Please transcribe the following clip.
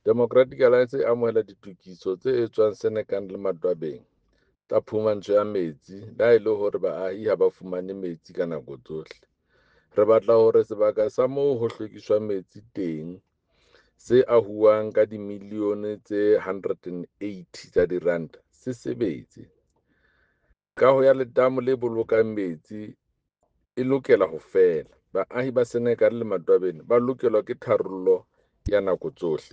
Democratic Alliance e amohela ditokiso tse etswang Senekal le Matwabeng tsa phumantsho ya metsi le ha e le hore baahi ha ba fumane metsi ka nako tsohle. Re batla hore sebaka sa moo ho hlwekiswang metsi teng, se ahuwang ka dimilione tse 180 tsa diranta, se sebetse. Kaho ya letamo le bolokang metsi e lokela ho fela. Baahi ba Senekal le Matwabeng ba lokelwa ke tharollo ya nako tsohle.